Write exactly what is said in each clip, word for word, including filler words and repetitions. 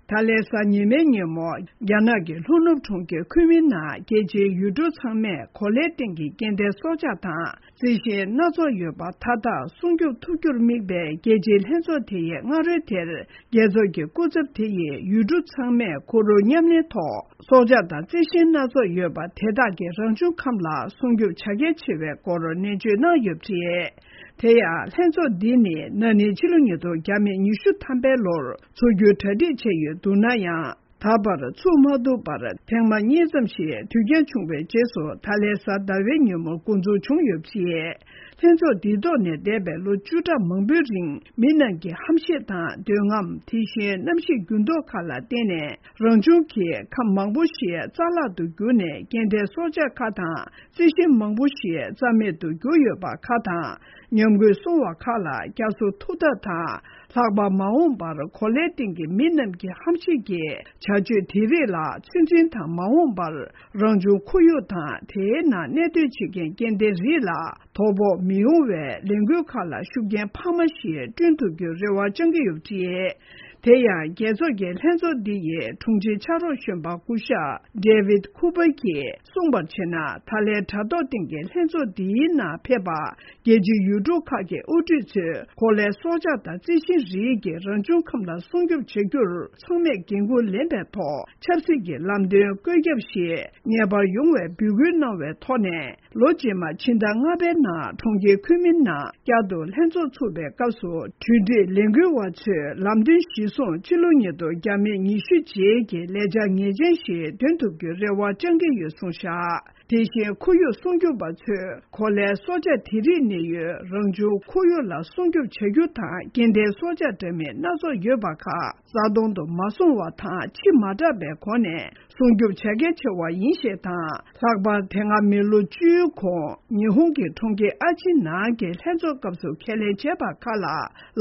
ད་ལན་གཟའ་ཉི་མའི་ཉིན་མོ། རྒྱ་ནག་གི་ལྷོ་ནུབ་གྲོང་ཁྱེར་ཁུན་མིང་ནང་རྒྱལ་སྤྱིའི་ཡུལ་གྲུ་ཚང་མས་གོ་ལའི་སྟེང་གི་སྐྱེ་ལྡན་སྲོག་ཆགས་དང་རྩི་ཤིང་སྣ་ཚོགས་ཡོད་པ་མཐའ་དག་སྲུང་སྐྱོབ་ཐུབ་རྒྱུར་དམིགས་པའི་རྒྱལ་སྤྱིའི་ལྷན་ཚོགས་དེ་ཡི་སྔ་རོལ་དེར། རྒྱལ་ཚོགས་ཀྱི་སྐུ་ཚབ་དེ་ཡིས་ཡུལ་གྲུ་ཚང་མས་ཁོར་ཡུག་མཉམ་ལེན་ཐོག་སྲོག་ཆགས་དང་རྩི་ཤིང་སྣ་ཚོགས་ཡོད་པ་དེ་དག་གི་རང་བྱུང་ཁམས་ལ་སྲུང་སྐྱོབ་བྱ་གལ་ཆེ་བའི་སྐོར་ནན་བརྗོད་གནང་ཡོད་པ་རེད། དེ་ཡང་ལྷན་ཚོགས་འདི་ནི་ན་ནིང་ཕྱི་ལོ་ཉིས་སྟོང་ཉི་ཤུ་ཐམ་པའི་ལོར་འཚོགས་རྒྱུའི་གྲ་སྒྲིག་བྱས་ཡོད་འདུག་ན་ཡང་། ད་བར་ཚུགས་མ་ཐུབ་པར་ཐེངས་མ་གཉིས་ཙམ་ཞིག་དུས་འགྱངས་བྱུང་བའི་རྗེས་སུ་ད་ལན་གཟའ་ཟླ་བའི་ཉིན་མོ་འགོ་འཛུགས་བྱུང་ཡོད་པ་རེད། ལྷན་ཚོགས་འདིའི་ཐོག་ནས་འདས་པའི་ལོ་བཅུ་ཕྲག་མང་པོའི་རིང་མི་རྣམས་ཀྱི་ཧམ་ཤེད་དང་འདོད་རྔམ། དེ་བཞིན་གནམ་གཤིས་འགྱུར་ལྡོག་ཁག་ལ་བརྟེན་ནས་རང་བྱུང་གི་ཁམས་མང་པོ་ཞིག་རྩ་བརླག་ཏུ་གྱུར་ནས་སྐྱེ་ལྡན་སྲོག་ཆགས་ཁག་དང་རྩི་ཤིང་མང་པོ་ཞིག་རྩ་མེད་དུ་གྱུར་ཡོད་པ་ཁག་དང་། ཉམས་རྒུད་སོང་བ་ཁག་ལ་བསྐྱར་གསོ་ཐུབ་ཐབས་དང་། ལྷག་པར་མ་འོངས་པར་གོ་ལའི་སྟེང་གི་མི་རྣམས་ཀྱི་ཧམ་ཤེད་ཀྱི་བྱ་སྤྱོད་དེ་རིགས་ལ་ཚོད་འཛིན་དང་། མ་འོངས་པར་རང་བྱུང་ཁོར་ཡུག་དང་དེའི་ནང་གནས་སྡོད་བྱེད་མཁན་སྐྱེ་ལྡན་རིགས་ལ་དོ་ཕོག་མི་ཡོང་བའི་ལས་འགུལ་ཁག་ལ་ཤུགས་རྐྱེན་འཕར་མ་ཞིག་བསྐྲུན་ཐུབ་རྒྱུའི་རེ་བ་བཅང་གི་ཡོད་པ་རེད། དེ་ཡང་རྒྱལ་ཚོགས་ཀྱི་ལྷན་ཚོགས་འདི་ཡི་དྲུང་ཆེ་ཕྱག་རོགས་གཞོན་པ་སྐུ་ཞབས་David Cooper གྱིས་གསུངས་པར་བྱས་ན། ད་ལན་དྲ་ཐོག་སྟེང་གི་ལྷན་ཚོགས་འདིའི་ནང་ཕེབས་པ་རྒྱལ་སྤྱིའི་ཡུལ་གྲུ་ཁག་གི་དབུ་ཁྲིད་ཚོས་གོ་ལའི་སྲོག་ཆགས་དང་རྩི་ཤིང་རིགས་ཀྱི་རང་བྱུང་ཁམས་ལ་སྲུང་སྐྱོབ་བྱ་རྒྱུར་ཚང་མས་འགན་འཁུར་ལེན་པའི་ཐོག་ཆབ་སྲིད་ཀྱི་ལམ་སྟོན་བཀོད་ཁྱབ་ཞིག་ངེས་པར་ཡོང་བའི་འབོད་སྐུལ་གནང་བའི་ཐོག་ནས། ལོ་རྗེས་མ་ཕྱི་ཟླ་ལྔ་པའི་ནང་གྲོང་ཁྱེར་ཁུན་མིང་ནང་བསྐྱར་དུ་ལྷན་ཚོགས་ཚུགས་པའི་སྐབས་སུ། གྲོས་སྒྲིག་ལས་འགུལ་བ་ཚོས་ལམ་སྟོན་གཞིར་བཟུང་ཕྱི་ལོ་ཉིས་སྟོང་ཉི་ཤུ་རྗེས་ཀྱི་ལས་འཆར་ངེས་ཅན་ཞིག་འདོན་ཐུབ་རྒྱུའི་རེ་བ་བཅང་གི་ཡོད་གསུངས་བཞག་དེ་བཞིན་ཁོར་ཡུག་སྲུང་སྐྱོབ་པ་ཚོས་གོ་ལའི་སྲོག་ཆགས་དེ་རིགས་གནས་ཡུལ་རང་བྱུང་ཁོར་ཡུག་ལ་སྲུང་སྐྱོབ་བྱ་རྒྱུ་དང་། སྐྱེ་ལྡན་སྲོག་ཆགས་འདྲ་མིན་སྣ་ཚོགས་ཡོད་པ་ཁག་རྩ་སྟོང་དུ་མ་སོང་བ་དང་། ཕྱི་མ་དྲགས་པའི་སྒོ་ནས་སྲུང་སྐྱོབ་བྱ་གལ་ཆེ་བ་ཡིན་ཞེས་དང་། ལྷག་པར་དེ་སྔ་མི་ལོ་བཅུའི་གོང་ཉི་ཧོང་གི་གྲོང་ཁྱེར་ཨ་ཆི་ནང་གི་ལྷན་ཚོགས་སྐབས་སུ་ཁས་ལེན་བྱས་པ་ཁག་ལ་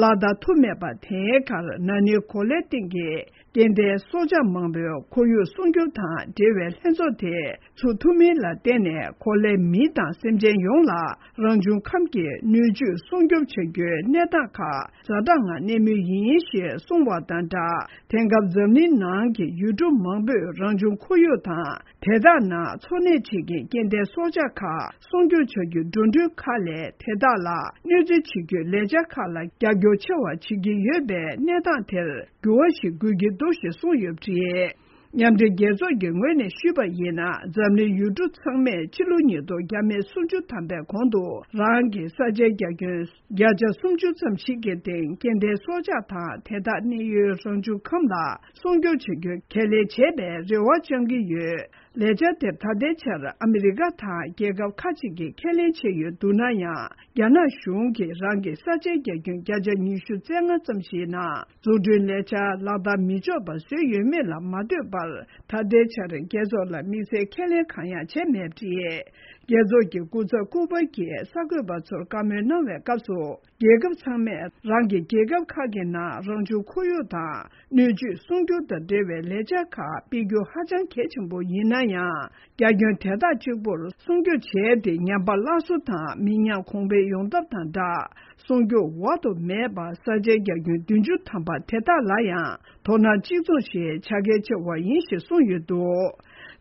ལག་བསྟར་ཐུབ་མེད་པ། དེའི་ཁར་ན་ནིང་གོ་ལའི་སྟེང་གི་སྐྱེ་ལྡན་སྲོག་ཆགས་མང་པོའི་ཁོར་ཡུག་སྲུང་སྐྱོབ་དང་འབྲེལ་བའི་ལྷན་ཚོགས་དེ་ཚུགས་ཐུབ་མིན་ལ་བརྟེན་ནས་གོ་ལའི་མི་དང་སེམས་ཅན་ཡོངས་ལ་རང་བྱུང་ཁམས་ཀྱི་སྣོད་བཅུད་སྲུང་སྐྱོབ་བྱ་རྒྱུའི་གནས་སྟངས་ཁག་ཛ་དྲག་ངང་གནས་མུས་ཡིན་ཞེས་གསུངས་པ་དང་སྦྲགས། དེང་སྐབས་འཛམ་གླིང་ནང་གི་ཡུལ་གྲུ་མང་པོས་རང་བྱུང་ཁོར་ཡུག་དང་། དེ་དག་ནང་འཚོ་གནས་བྱེད་མཁན་སྐྱེ་ལྡན་སྲོག་ཆགས་ཁག་སྲུང་སྐྱོབ་བྱ་རྒྱུའི་འགྲོ་གྲོན་ཁག་ལས་དེ་དག་ལ་གནོད་འཚེ་བྱེད་རྒྱུའི་ལས་འཆར་ཁག་ལ་རྒྱབ་སྐྱོར་ཆེ་བ་བྱེད་ཀྱི་ཡོད་པའི་གནས་སྟངས་དེར་འགྱུར་བ་ཞིག་དགོས་ཀྱི་འདུག་ཞེས་གསུངས་ཡོད་པ་རེད། མཉམ་འབྲེལ་རྒྱལ་ཚོགས་ཀྱི་ངོས་ནས་ཞུས་པ་ཡིན་ན། འཛམ་གླིང་ཡུལ་གྲུ་ཚང་མས་ཕྱི་ལོ་ཉིས་སྟོང་ཉི་ཤུ་རྩ་བཞི་ཐམ་པའི་གོང་དུ་རང་གི་ས་ཆའི་རྒྱ་ཁྱོན་བརྒྱ་ཆ་སུམ་ཅུ་ཙམ་ཞིག་གི་སྟེང་སྐྱེ་ལྡན་སྲོག་ཆགས་དང་དེ་དག་གནས་ཡུལ་རང་བྱུང་ཁམས་ལ་སྲུང་སྐྱོབ་བྱ་རྒྱུ་ཁས་ལེན་བྱས་པའི་རེ་བ་བཅང་གི་ཡོད། ལས་འཆར་དེར་ད་ལྟའི་ཆར་ཨ་མི་རི་ཀ་དང་རྒྱལ་ཁབ་ཁག་ཅིག་གིས་ཁས་ལེན་བྱས་ཡོད་འདུག་ན་ཡང་། རྒྱ་ནག་གཞུང་གིས་རང་གི་ས་ཆའི་རྒྱ་ཁྱོན་བརྒྱ་ཆ་ཉི་ཤུ་རྩ་ལྔ་ཙམ་ཞིག་ནང་འཛུགས་སྐྲུན་ལས་འཆར་ལག་བསྟར་མི་ཆོག་པ་བཟོས་ཡོད་མེད་ལ་མ་ལྟོས་པར། ད་ལྟའི་ཆར་རྒྱལ་ཚོགས་ལ་དམིགས་བསལ་ཁས་ལེན་གང་ཡང་བྱས་མེད་པ་རེད། རྒྱལ་ཚོགས་ཀྱི་སྐུ་ཚབ་ཀུ་པར་གྱིས་གསར་འགོད་པ་ཚོར་བཀའ་མོལ་གནང་བའི་སྐབས་སུ། རྒྱལ་ཁབ་ཚང་མས་རང་གི་རྒྱལ་ཁབ་ཁག་གི་ནང་རང་བྱུང་ཁོར་ཡུག་དང་སྣོད་བཅུད་སྲུང་སྐྱོབ་དང་འབྲེལ་བའི་ལས་འཆར་ཁག་སྤེལ་རྒྱུ་ཧ་ཅང་གལ་ཆེན་པོ་ཡིན་ན་ཡང་། རྒྱ་ཁྱོན་དེ་དག་གཅིག་པུར་སྲུང་སྐྱོབ་བྱས་ཏེ། ཉམས་པ་སླར་གསོ་དང་མི་ཉམས་གོང་འཕེལ་ཡོང་ཐབས་དང་སྦྲགས། སྲུང་སྐྱོབ་འོག་ཏུ་མེད་པ་ས་ཆའི་རྒྱ་ཁྱོན་བདུན་ཅུ་ཐམ་པ་དེ་དག་ལ་ཡང་དོ་སྣང་གཅིག་མཚུངས་ཤིག་བྱ་གལ་ཆེ་བ་ཡིན་ཞེས་གསུངས་ཡོད་འདུག་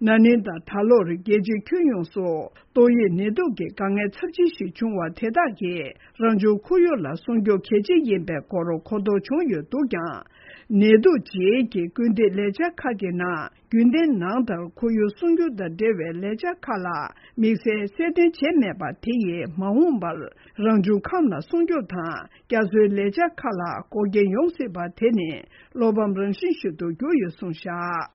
ན་ནིང་དང་ད་ལོར་རྒྱལ་སྤྱིའི་ཁྱོན་ཡོངས་སུ་ཏོག་དབྱིབས་ནད་དུག་གི་དཀའ་ངལ་ཚབས་ཆེན་ཞིག་བྱུང་བ་དེ་དག་གིས་རང་བྱུང་ཁོར་ཡུག་ལ་སྲུང་སྐྱོབ་གལ་ཆེ་ཡིན་པའི་སྐོར་གོ་རྟོགས་བྱུང་ཡོད་འདུག་ཀྱང་། ནད་དུག་རྗེས་ཀྱི་སྐུལ་འདེད་ལས་འཆར་ཁག་གི་ནང་། རྒྱུན་ལྡན་ནང་ལྟར་ཁོར་ཡུག་སྲུང་སྐྱོབ་དང་འབྲེལ་བའི་ལས་འཆར་ཁག་ལ་དམིགས་བསལ་གསལ་སྟོན་བྱས་མེད་པ་དེ་ཡིས། མ་འོངས་པར་རང་བྱུང་ཁམས་ལ་སྲུང་སྐྱོབ་དང་བསྐྱར་གསོའི་ལས་འཆར་ཁག་ལ་འགོག་རྐྱེན་ཡོང་སྲིད་པ་དེ་ནི་བློ་ཕམ་རང་བཞིན་ཞིག་ཏུ་གྱུར་ཡོད་གསུངས་བཞག